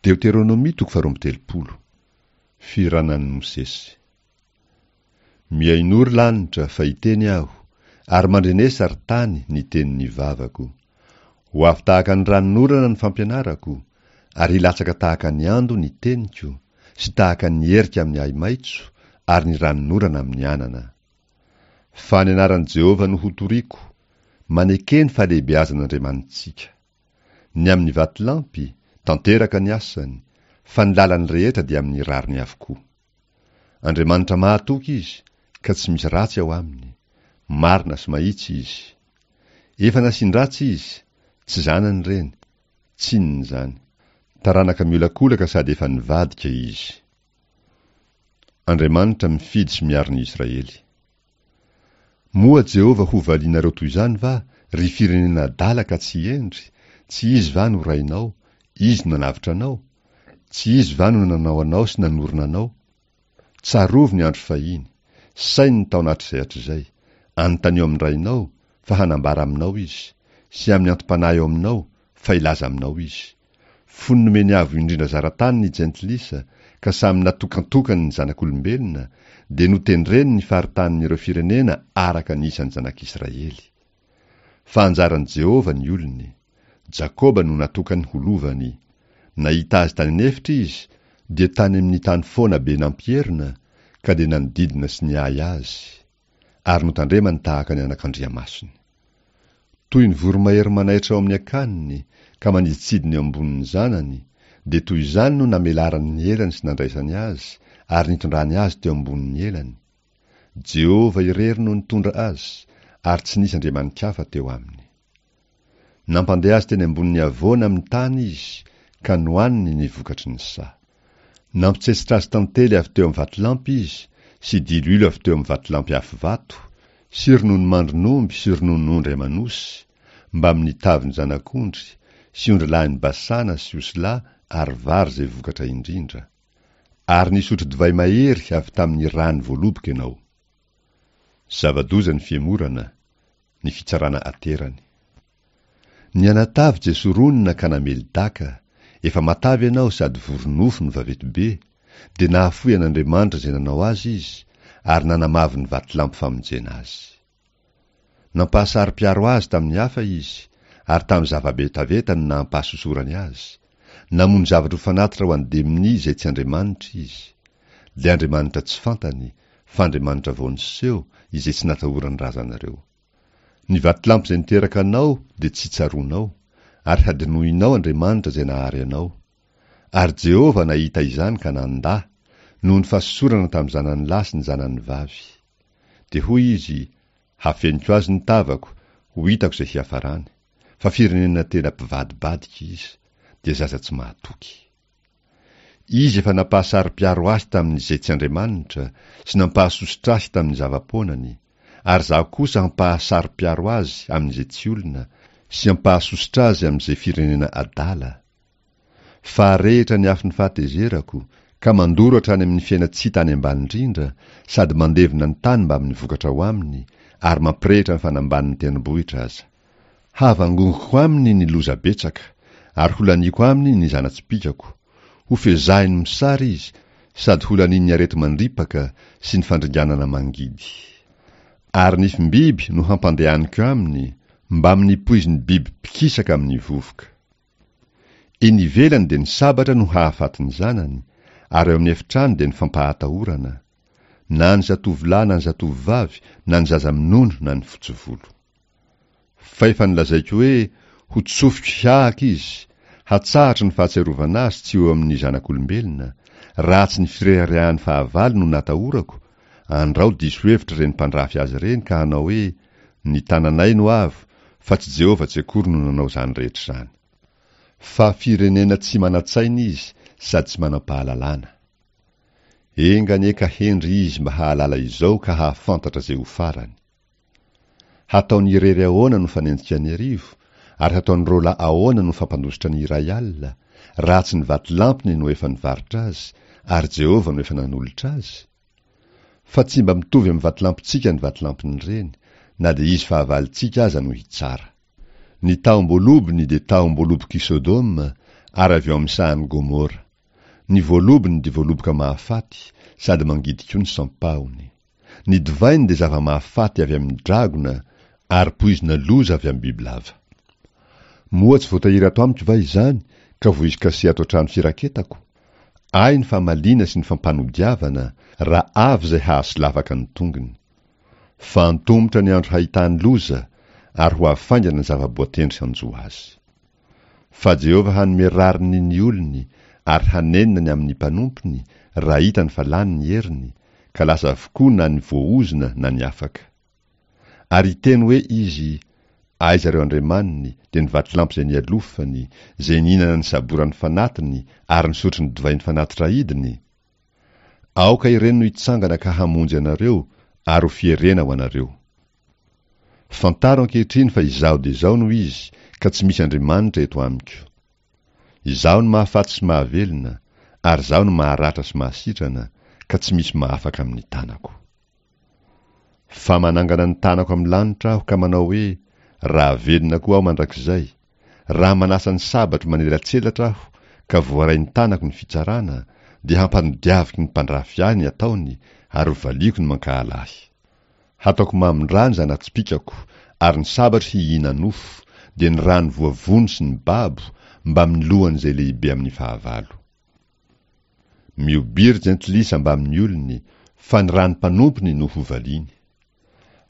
Deoteronomia toko faharoa amby 30. Firanan'i Mosesy. Mihainoa ry lanitra, fa hiteny aho, ary mandrenesa ry tany ny tenin'ny vavako. Ho avy tahaka ny ranonorana ny fampianarako, ary hilatsaka tahaka ny ando ny teniko, sy tahaka ny erika amin'ny ahi-maitso, ary ny ranonorana amin'ny anana. Fa ny anaran'i Jehovah no hotoriko, maneke ny fahalehibeazan'Andriamanitsika. Ny amin'ny vatolampy, tanteraka ny asany, fa ny lalany rehetra dia amin'ny rariny avokoa. Andriamanitra mahatoky Izy, ka tsy misy ratsy ao aminy. Marina sy mahitsy Izy. Efa nasian-dratsy Izy, tsy zanany ireny, tsinona izany. Taranaka miolakolaka sady efa nivadika Izy. Andriamanitra mifidy sy miaro ny Israely. Moa Jehovah ho valianareo toy izany va, ry firenena adala ka tsy hendry? Tsy Izy va no Rainao? Izy no nanavotra anao? Tsy Izy va no nanao anao sy nanorina anao? Tsarovy ny andro fahiny, saino ny taona hatrizay hatrizay. Anontanio amin'ny Rainao, fa hanambara aminao Izy, sy amin'ny antom-panahy ao aminao, fa hilaza aminao Izy. Fony nomeny Avo Indrindra zara-tany ny jentilisa, ka samy natokantokany ny zanak'olombelona, dia notendreny ny faritanin'ireo firenena araka ny isan'ny zanak'Israely. Fa anjaran'i Jehovah ny olony. Jakoba no natokany ho lovany. Nahita azy tany an'efitra izy, dia tany amin'ny tany foana be nampierona, ka dia nanodidina sy niahy azy. Ary notandremany tahaka ny anakandriamasony. Toy ny voromahery manaitra ao amin'ny akaniny ka manidintsidina eo ambonin'ny zanany, dia toy izany no namelarany ny elany sy nandraisany azy ary nitondrany azy teo ambonin'ny elany. Jehovah irery no nitondra azy, ary tsy nisy andriamani-kafa teo aminy. Nampandeha azy teny ambonin'ny havoana amin'ny tany izy, ka nohaniny ny vokatry ny saha. Nampitsetsitra azy tantely avy teo amin'ny vatolampy izy, sy diloilo avy teo amin'ny vatolampy afo vato, sy rononomandrin'omby sy rononon'ondry aman'osy, mbamin'ny tavin'ny zanak'ondry, sy ondrilahin'i Basana sy osilahy ary vary izay vokatra indrindra. Ary nisotro divay mahery avy tamin'ny ràn'ny voaloboka ianao. Zava-doza ny fihemorana, ny fitsarana aterany. Nianatavy Jesoronina ka namely daka, efa matavy ianao sady vory nofo no vaventy be, dia nahafoy an'Andriamanitra izay nanao azy izy, ary nanamavo ny vatolampy famonjena azy. Nampahasaro-piaro azy tamin'ny hafa izy, ary tamin'ny zava-betaveta no nampahasosorany azy. Namono zavatra ho fanatitra ho an'ny demonia izay tsy Andriamanitra izy. Dia Andriamanitra tsy fantany, fa Andriamanitra vao niseho, izay tsy natahoran'ny razanareo. Ny vatolampy izay niteraka anao dia tsy tsaroanao, ary hadinoinao Andriamanitra izay nahary anao. Ary Jehovah nahita izany ka nandà, noho ny fahasosorana tamin'ny zanany lahy sy ny zanany vavy. Dia hoy Izy, Hafeniko azy ny tavako, ho hitako izay hiafarany. Fa firenena tena mpivadibadika izy, dia zaza tsy mahatoky. Izy efa nampahasaro-piaro ahy tamin'izay tsy Andriamanitra sy nampahasosotra ahy tamin'ny zava-poanany, ary izaho kosa hampahasaro-piaro azy amin'izay tsy olona sy hampahasosotra azy amin'izay firenena adala. Fa arehitra ny afon'ny fahatezerako, ka mandoro hatrany amin'ny fiainan-tsy hita any ambany indrindra, sady mandevona ny tany mbamin'ny vokatra ao aminy, ary mampirehitra ny fanambanin'ny tendrombohitra aza. Havangongoko aminy ny loza betsaka, ary holaniako aminy ny zana-tsipìkako. Hofezahiny mosary izy, sady holanian'ny areti-mandripaka sy ny fandringanana mangidy. Ary nifim-biby no hampandehaniko aminy, mbamin'ny poizin'ny biby mpikisaka amin'ny vovoka. Eny ivelany dia ny sabatra no hahafaty ny zanany, ary ao amin'ny efitrano dia ny fampahatahorana, na ny zatovolahy na ny zatovovavy, na ny zaza minono na ny fotsy volo. Fa efa nolazaiko hoe ho tsofiko hihahaka izy, hatsahatro ny fahatsiarovana azy tsy ho eo amin'ny zanak'olombelona, raha tsy ny fireharehan'ny fahavalo no natahorako, andrao diso hevitra ireny mpandrafy azy ireny ka hanao hoe, Ny tananay no avo, fa tsy Jehovah tsy akory no nanao izany rehetra izany. Fa firenena tsy manan-tsaina izy sady tsy manam-pahalalana. Enga anie ka hendry izy mba hahalala izao ka hahafantatra izay ho farany. Hataony irery ahoana no fanenjika ny arivo, ary hataony roalahy ahoana no fampandositra ny 10,000, raha tsy ny vatolampiny no efa nivarotra azy, ary Jehovah no efa nanolotra azy? Fa tsy mba mitovy amin'ny vatolampintsika ny vatolampin'ireny, na dia izy fahavalontsika aza no hitsara. Ny tahom-boalobony dia tahom-boalobok'i Sodoma, ary avy ao amin'ny sahan'i Gomora. Ny voalobony dia voaloboka mahafaty, sady mangidy koa ny sampahony. Ny divainy dia zava-mahafaty avy amin'ny dragona, ary poizina loza avy amin'ny bibilava. Moa tsy voatahiry ato amiko va izany, ka voizy kase ato an-trano firaketako? Ahy ny famaliana sy ny fampanodiavana, raha avy izay hahasolafaka ny tongony. Fa antomotra ny andro hahitany loza, ary ho avy faingana ny zava-boatendry hanjo azy. Fa Jehovah hanome rariny ny olony, ary hanenina ny amin'ny mpanompony, raha hitany fa lany ny heriny, ka lasa avokoa na ny voaozona na ny afaka. Ary hiteny hoe izy, Aiza ireo andriamaniny, dia ny vatolampy izay nialofany, izay nihinana ny saboran'ny fanatiny ary nisotro ny divain'ny fanatitra aidiny? Aoka ireny no hitsangana ka hamonjy anareo ary ho fierena ho anareo. Fantaro ankehitriny fa Izaho dia Izaho no Izy, ka tsy misy Andriamanitra eto amiko. Izaho no mahafaty sy mahavelona, ary Izaho no maharatra sy mahasitrana, ka tsy misy mahafaka amin'ny tanako. Fa manangana ny tanako amin'ny lanitra aho ka manao hoe, Raha velona koa aho mandrakizay, raha manasa ny sabatro manelatselatra aho ka voarain'ny tanako ny fitsarana, dia hampanodiaviko ny mpandrafy ahy ny ataony ary hovaliako ny mankahala ahy. Hataoko mamin-drà ny zana-tsipìkako, ary ny sabatro hihina-nofo, dia ny ràn'ny voavono sy ny babo, mbamin'ny lohan'izay lehibe amin'ny fahavalo. Mihobiry jentilisa mbamin'ny olony, fa ny ràn'ny mpanompony no hovaliany.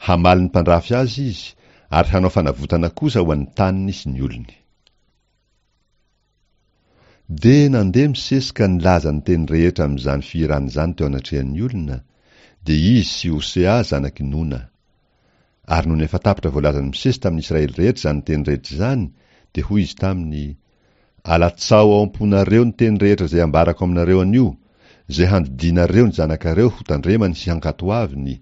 Hamaly ny mpandrafy azy izy, ary hanao fanavotana kosa ho an'ny taniny sy ny olony. Dia nandeha Mosesy ka nilaza ny teny rehetra amin'izany fihirana izany teo anatrehan'ny olona, dia izy sy Hosea zanak'i Nona. Ary nony efa tapitra voalazan'i Mosesy tamin'ny Israely rehetra izany teny rehetra izany, dia hoy izy taminy, Alatsaho ao am-ponareo ny teny rehetra izay ambarako aminareo anio, izay handidianareo ny zanakareo hotandremany sy hankatoaviny,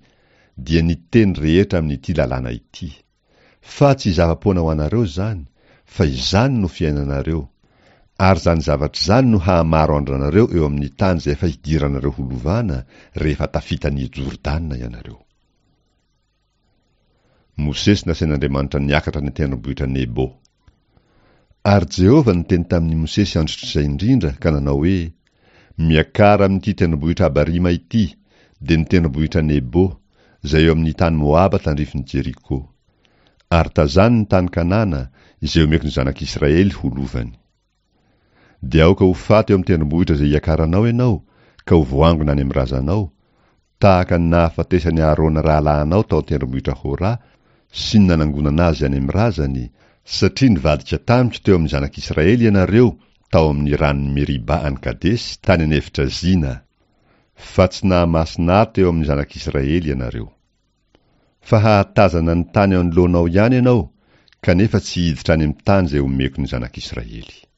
dia ny teny rehetra amin'ity lalàna ity. Fa tsy zava-poana ho anareo izany, fa izany no fiainanareo. Ary izany zavatra izany no hahamaro andro anareo eo amin'ny tany izay efa hidiranareo ho lovana, rehefa tafita an'i Jordana ianareo. Mosesy nasain'Andriamanitra niakatra ny tendrombohitra Nebo. Ary Jehovah niteny tamin'i Mosesy androtr'izay indrindra ka nanao hoe, Miakara amin'ity tendrombohitra Abarima ity, dia ny tendrombohitra Nebo, izay eo amin'ny tany Moaba tandrifin'i Jeriko. Ary tazano ny tany Kanana, izay omeko ny zanak'Israely ho lovany. Dia aoka ho faty eo amin'ny tendrombohitra izay hiakaranao ianao, ka ho voangona any amin'ny razanao, tahaka ny nahafatesan'i Aharôna rahalahinao tao an-tendrombohitra Hora sy ny nanangonana azy any amin'ny razany, satria nivadika tamiko teo amin'ny zanak'Israely ianareo tao amin'ny ranon'i Meriba any Kadesy tany an'efitra Zina, fa tsy nahamasina ahy teo amin'ny zanak'Israely ianareo. Fa hahatazana ny tany anoloanao ihany ianao, kanefa tsy hiditra any amin'ny tany izay omeko ny zanak'Israely.